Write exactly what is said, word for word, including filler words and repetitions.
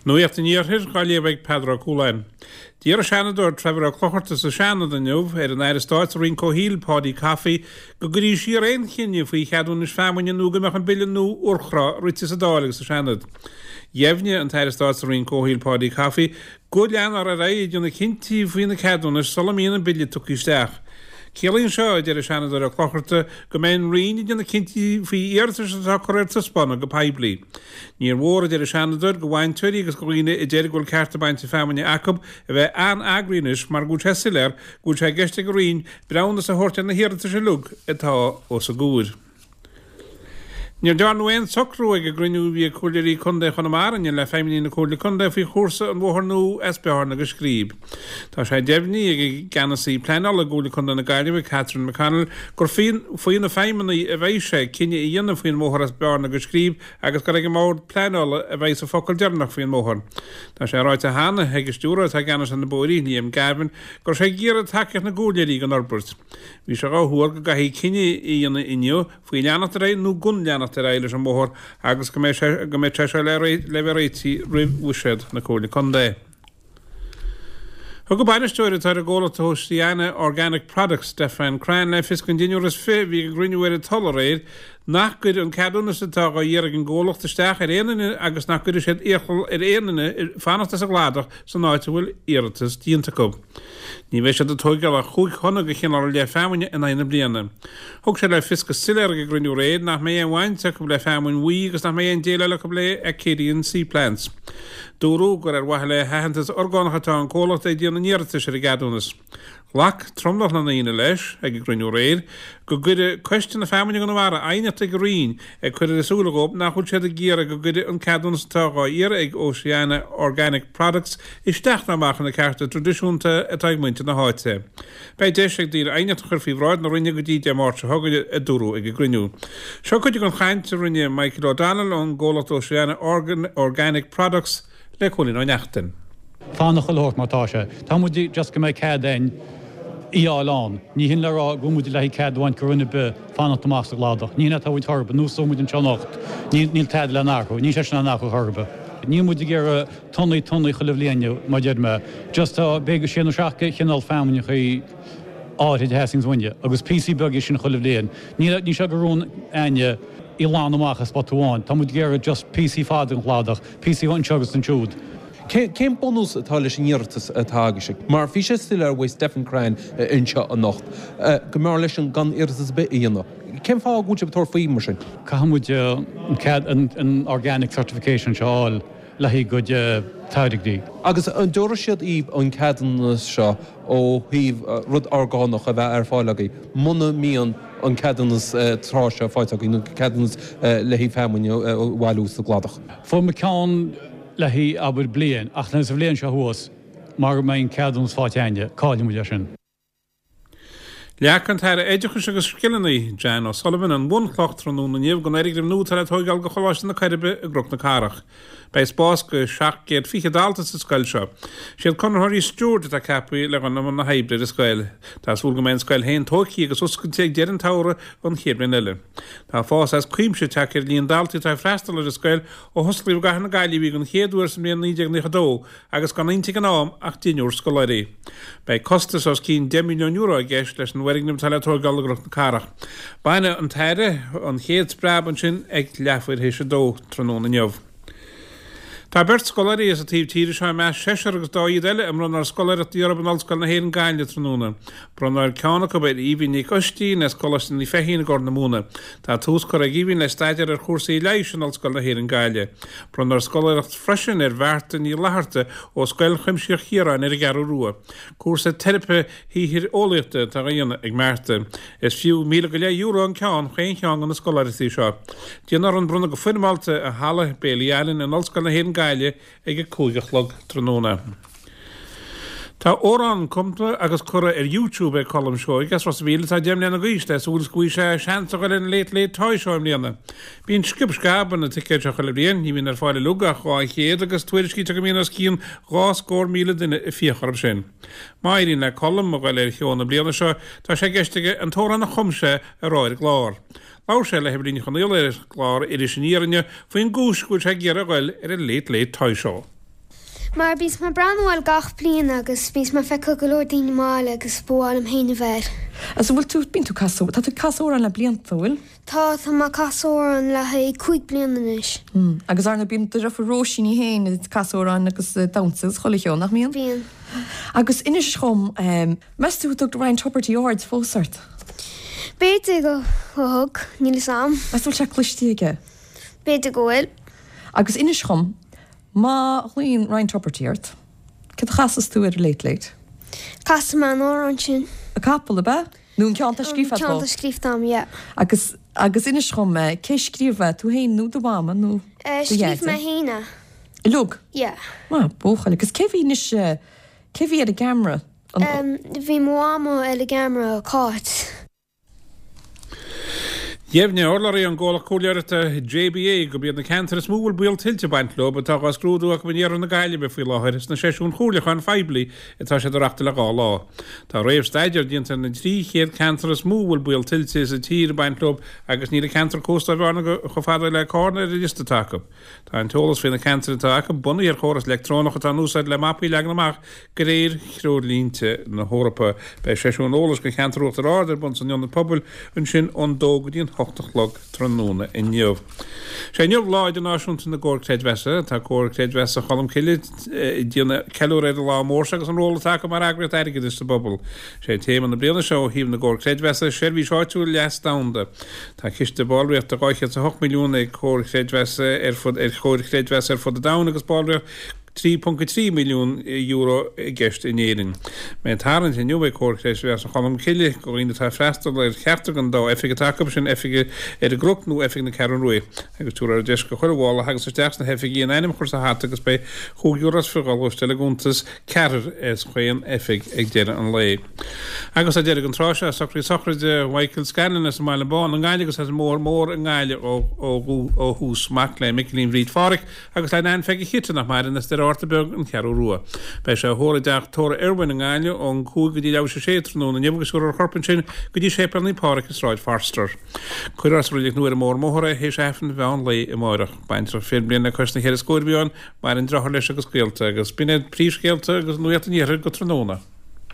Nuacht an Iarthair á léamh ag Peadar Ó Cualáin. D'iarr an Seanadóir Trevor Ó Clochartaigh sa Seanad inniu ar an Aire Stáit sa Roinn Comhshaoil Paudie Coffey go gcuirí siar aon chinneadh faoi cheadúnais feamainne nó go mbeadh an bille nua urchrá rite sa Dáil agus sa Seanad. Dheimhnigh an tAire Stáit sa Roinn Comhshaoil Paudie Coffey go leanfar ar aghaidh ag déanamh cinntí faoi na ceadúnais sula mbíonn an bille tugtha isteach. Ciallaíonn seo, a deir an Seanadóir Ó Clochartaigh, go mbeidh an Roinn ag déanamh cinntí faoi iarratais atá curtha ar taispeánadh go poiblí. Níor mhór, a deir an Seanadóir, do bhainteoirí agus do dhaoine a deir go bhfuil cearta bainte feamainne acu a bheith an-agraí anois mar go bhfuil sé soiléir go bhfuil sé i gceist ag an Roinn breithiúnas a thabhairt ar na hiarratais uilig atá os a gcomhair. Níor dearnadh aon socrú ag an gcruinniú a bhí ag Comhairleoirí Contae Chonamara inniu le feidhmeannaigh na Comhairle Contae faoi chúrsa an bhóthair nua as Bearna go Scríb. Tá sé deimhnithe ag an gceannasaí pleanála i gComhairle Contae na Gaillimhe, Catherine McConnell, gur faoi na feidhmeannaigh a bheidh sé cinneadh a dhéanamh faoin mbóthar as Bearna go Scríb agus gur ag an mBord Pleanála a bheidh an focal deireanach faoin mbóthar. Tá sé ráite cheana ag an stiúrthóir atá i gceannas ar na bóithrí, Liam Gavin, go raibh sé ag iarraidh tacaíocht na gcomhairleoirí don fhorbairt. Bhí sé dhá thuar go gcaithfí cinneadh a dhéanamh inniu faoi leanacht ar aghaidh nó gan leanacht ar aghaidh leis an mbóthar agus go mbeidh sé go mbeidh sé seo le le bheith réitithe roimh bhuiséad na Comhairle Contae. Thug an bainisteoir atá ar an gcomhlacht Oceana Organic Products, Stefan Cran, le fios don deichniúr is fiche a bhí ag an gcruinniú ar an Tulaigh aréir nach gcuirfidh an ceadúnas atá dhá iarraidh ag an gcomhlacht isteach ar aon duine agus nach gcuirfidh siad iachall ar aon duine fanacht as an gcladach san áit a bhfuil iarratas déanta acu. Ní bheidh siad ag tóigeáil ach chúig thonna de chineál ar leith feamainne in aghaidh na bliana. Thug sé le fios go soiléir ag an gcruinniú aréir nach mbeidh aon bhaint acu le feamainn bhuí agus nach mbeidh aon déileáil acu le Acadian Seaplants. Dúradh gur ar mhaithe le haitheantas orgánach atá an comhlacht ag déanamh an iarratais ar an gceadúnas. Ghlac tromlach na ndaoine leis, ag an gcruinniú aréir, go gcuirfeadh Coiste na Feamainne i gConamara aighneacht ag an Roinn ag cur ar a súile dhóibh nach bhfuil siad ag iarraidh go gcuirfeadh an ceadúnas atá dhá iarraidh ag Oceana Organic Products isteach ná amach ar na cearta traidisiúnta atá ag muintir na háite. Beidh deis ag daoine aighneacht a chur faoi bhráid na Roinne go dtí Dé Máirt seo chugainn, a dúradh ag an gcruinniú. Seo cuid den chaint a rinne Michael O'Donnell ón gcomhlacht Oceana Organic Products le Cóilín Ó Neachtain. Fanacht chuile shórt mar tá sé. Tá muid just go mbeidh cead againn í fháil ann. Ní hin le rá go bhfuil muid le haghaidh cead a bhaint go dhuine ar bith fanacht amach sa gcladach. Ní hin atá uainn chor ar bith. Nós muid anseo anocht. Níl tada le n-athrú. Níl sé sin in athrú chor ar bith. Níl muid ag iarraidh tonnaí tonnaí chuile bhliain mar deir mé. Just tá b'fhéidir sé nó seacht de chineál feamainneachaí áirid a theastaíonns uainne agus píosaí beaga sin chuile bhliain. Níl ní seo go rún aine í lán amach as spota amháin. Tá muid ag iarraidh just píosaí fada den chladach, píosaí anseo agus ansiúd. Cén bunús atá leis an iarratas atá agaibhse? Mar bhí sé soiléir uaidh Stephen Cran anseo anocht go mb'fhearr leis an gan iarratas ar bith a dhéanamh. Cén fáth go bhfuil sibh ag tabhairt faoi mar sin? Caithfidh muid an cead an organic certification seo a fháil le haghaidh cuid táirgí. Agus an dtabharfaidh siad daoibh an ceadúnas seo ó thaobh rud orgánach a bheith ar fáil agaibh muna mbíonn an ceadúnas trá seo faighte agaibh nó ceadúnas le haghaidh feamainn a bhailiú sa gcladach? Fuair muid ceann le haghaidh abair bliain ach sa bhliain seo thuas mar go mbeidh an ceadúnas faighte againne, caillfidh muid é sin. Leag an tAire Oideachais agus Scileanna, Jan O'Sullivan, an bhunchloch tráthnóna inniu don fhoirgneamh nua atá le tóigeáil do Choláiste na Coiribe i gCnoc na Cathrach. Beidh spás do seacht gcéad fiche dalta sa scoil seo. Siad conraitheoirí Stewart atá ceaptha le dhul i mbun na hoibre ar an scoil. Tá súil go mbeidh an scoil féin tógtha agus oscailte ag deireadh an tsamhraidh an chéad bhliain eile. Tá fás as cuimse tagtha ar líon daltaí atá ag freastal ar an scoil ó hosclaíodh i gcathair na Gaillimhe í den chéad uair sa mbliain naoi déag nócha dó agus gan inti ag an am ach deichniúr scoláirí. Beidh costas os cionn deich milliún euro i gceist leis an bhfoirgneamh atá le tóigeáil i gCnoc na Cathrach. Baineadh an tAire an chéad spreab ansin ag leathuair théis a dó tráthnóna inniu. Tá beirt scoláirí as an taobh tíre seo i measc seisear agus dá fhichead eile a mbronnfar scoláireachtaí orthu in Ollscoil na hÉireann Gaillimh tráthnóna. Bronnfar ceann acu ar Aoibhinn Nic Oistín as Coláiste Naomh Feichín i gCorr na Móna. Tá tús curtha ag Aoibhinn le staidéar ar chúrsaí leighis in Ollscoil na hÉireann Gaillimh. Bronnfar scoláireacht freisin ar Mharta Ní Fhlatharta ó Scoil Chuimsitheach Chiaráin ar an gCeathrú Rua. Cúrsa teiripe shaothair-eolaíochta atá á dhéanamh ag Marta. Is fiú míle go leith euro an ceann chaon cheann de na scoláireachtaí seo. Déanfar an bronnadh go foirmeálta i Halla Bailey Allen in Ollscoil na hÉireann Gaillimh ag a cúig a chlog tráthnóna. Tá amhrán cumtha agus curtha ar YouTube ag Colm Seoighe as Ros a' Mhíl atá deich mbliana d'aois le súil is go bhfaighidh sé seans a dhul ar an Late Late Toy Show i mbliana. Bíonn sciob sceab ar na ticéid seo chuile bhliain, ní bhíonn ar fáil uilig ach dhá chéad agus tuairiscítear go mbíonn os cionn dhá scór míle duine ag fiach orthu sin. Má éiríonn le Colm a dhul ar sheó na bliana seo, tá sé i gceist aige an t-amhrán a chum sé a rá ar an gclár. Labhair sé le hEibhlín Ní Chonfhaola ar chlár Iris Aniar inniu faoin gcúis go bhfuil sé ag iarraidh a dhul ar an Late Late Toy Show. Mar bíonn mé ag breathnú air gach bliain agus bíonn mé ag feiceáil go leor daoine mall agus ba mhaith liom féin a bheith air. Agus an bhfuil tú, bíonn tú ag casadh, tá tú ag casadh amhrán le blianta, an bhfuil? Tá, tá mé ag casadh amhrán le haghaidh cúig bliana anois. Mm. Agus ar ndóigh bíonn do dheirfiúr Róisín í féin ag casadh amhrán agus ag damhsa agus chuile cheo, nach mbíonn? Bíonn. Agus inis dhom, meas tú an dtug Ryan Tubridy aird fós ort? B'fhéidir go thug, níl fhios a'm. Meas tú an bhfuil sé cloiste aige? B'fhéidir go bhfuil. Agus inis dhom, má ghlaonn Ryan Tubridy ort, céard a chasfas tú ar an Late Late? Casfaidh mé an amhrán sin. An Capall, ab ea? Nó an ceann atá scríofa agat? An ceann atá scríofa a'm, yeah. Agus, agus inis dhom, cé a scríobh é, tú féin nó do mhama nó do dhaidí? Scríobh mé féin é. Uilig? Yeah. Maith buachaill. Agus cé bhí anois, cé bhí ar an gceamara? Bhí mo mhama ar an gceamara, Cáit. Dheimhnigh urlabhraí ón gcomhlacht comhairleoireachta JBA gurb iad na ceantair is mó a bhfuil baol tuilte ag baint leo atá á scrúdú acu in iarthar na Gaillimhe faoi láthair sna seisiúin chomhairliúcháin phoiblí atá siad a reáchtáil le dhá lá. Tá réamhstaidéar déanta ar na trí chéad ceantar is mó a bhfuil baol tuilte sa tír ag baint leo agus níl an ceantar cósta ó Bhearna chomh fada le Carna ar an liosta atá acu. Tá an t-eolas faoi na ceantair atá acu bunaithe ar chóras leictreonach atá in úsáid le mapaí a leagan amach de réir threoirlínte na hEorpa. Beidh seisiún eolais do cheantar Uachtar Ard ar bun san Ionad Pobail ansin ón dó go dtí an hocht a chlog tráthnóna inniu. Sé inniu Lá Idirnáisiúnta na gComhar Creidmheasa. Tá Comhar Creidmheasa Cholmcille ag déanamh ceiliúradh ar an lá mór seo agus an ról atá acu mar eagraíocht airgeadais sa bpobal. Sé téama na bliana seo ó thaobh na gComhar Creidmheasa, seirbhís áitiúil, leas domhanda. Tá ciste ballraíochta dhá chéad is a hocht milliún ag Comhar Creidmheasa ar fud ar Chomhair Chreidmheasa ar fud an domhain agus ballraíocht trí ponc a trí milliún euro i gceist in Éirinn. Beidh tarraingt inniu ag Comhar Creidmheasa Cholmcille do dhaoine atá ag freastal ar cheachtar den dá oifig atá acu, sin oifig ar an gCnoc nó oifig na Ceathrún Rua, agus tabharfar deis do chuile bhall a thagas isteach sna hoifigí a n-ainm a chur sa hata agus beidh chúig euro is fiche á lorg i gcuntas ceathrair as chaon oifig ag deireadh an lae. Agus tá deireadh an tráth seo, socraí sochraide Mhichael Scanlon as an mBaile Bán i nGaillimh agus as an mBóthar Mór i nGaillimh ó thús, mac le Micilín Bhríd Pháraic agus le Nan Pheigí Chite nach maireann as Doire Fhatharta Beag, An Cheathrú Rua. Beidh sé á thórramh i dteach tórraimh Irwin i nGaillimh ón cúig go dtí leathuair tar éis a sé tráthnóna inniu agus tabharfar a chorp ansin go dtí Séipéal Naomh Pádraig i Sráid Forster. Cuirfear sa Reilig Nua ar an mBóthar Mór é théis Aifreann mheán lae amáireach. Baintreach fiche bliain le cois na ceithre scóir a bhí ann, maireann deartháir leis agus gaolta agus b'in iad príomhscéalta agus nuacht an iarthair go tráthnóna.